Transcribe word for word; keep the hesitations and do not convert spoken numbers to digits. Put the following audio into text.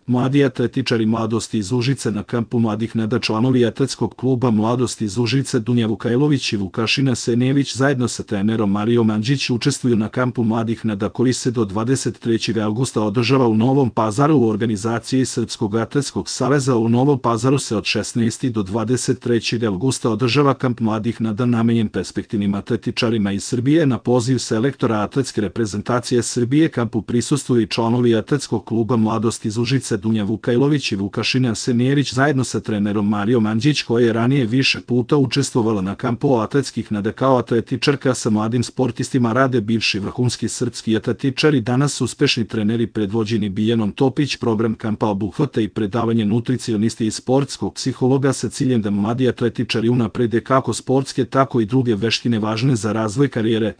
Mladi atletičari Mladosti iz Užice na kampu mladih Neda, članovi atletskog kluba Mladosti iz Užice Dunja Vukajlović i Vukašina Senević zajedno sa trenerom Marijom Andžić učestvuju na kampu mladih Neda koji se do dvadeset trećeg avgusta održava u Novom Pazaru u organizaciji Srpskog atletskog saveza. U Novom Pazaru se od šesnaestog do dvadeset trećeg avgusta održava kamp mladih Neda namenjen perspektivnim atletičarima iz Srbije. Na poziv selektora atletske reprezentacije Srbije kampu prisustvuju i članovi atletskog kluba Mladosti iz Užice Dunja Vukajlović i Vukašina Senević zajedno sa trenerom Marijom Andžić, koja je ranije više puta učestvovala na kampu atletskih Neda kao atletičarka. Sa mladim sportistima rade bivši vrhunski srpski atletičari, danas uspešni treneri predvođeni Biljanom Topić. Program kampa obuhvata i predavanje nutricionisti i sportskog psihologa sa ciljem da mladi atletičari unaprede kako sportske tako i druge veštine važne za razvoj karijere.